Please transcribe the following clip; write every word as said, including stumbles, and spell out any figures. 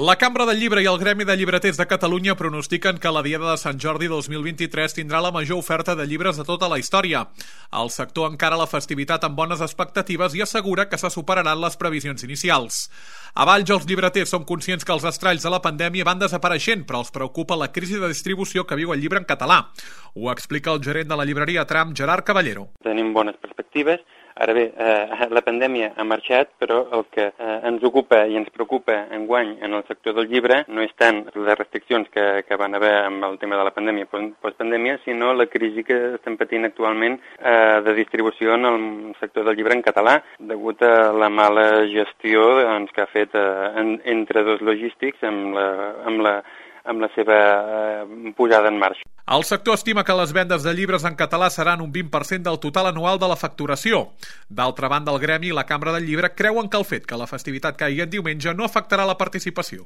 La Cambra del Llibre i el Gremi de Llibreters de Catalunya pronostiquen que la Diada de Sant Jordi dos mil vint-i-tres tindrà la major oferta de llibres de tota la història. El sector encara la festivitat amb bones expectatives i assegura que se superaran les previsions inicials. A Valls, els llibreters som conscients que els estralls de la pandèmia van desapareixent, però els preocupa la crisi de distribució que viu el llibre en català. Ho explica el gerent de la llibreria Tram, Gerard Caballero. Tenim bones perspectives. Ara bé, eh, la pandèmia ha marxat, però el que eh, ens ocupa i ens preocupa enguany en el sector del llibre no és tant les restriccions que, que van haver amb el tema de la pandèmia postpandèmia, sinó la crisi que estem patint actualment eh, de distribució en el sector del llibre en català, degut a la mala gestió doncs, que ha fet eh, en, entre dos logístics amb la, amb la amb la seva eh, posada en marxa. El sector estima que les vendes de llibres en català seran un vint per cent del total anual de la facturació. D'altra banda, el Gremi i la Cambra del Llibre creuen que el fet que la festivitat caigui en diumenge no afectarà la participació.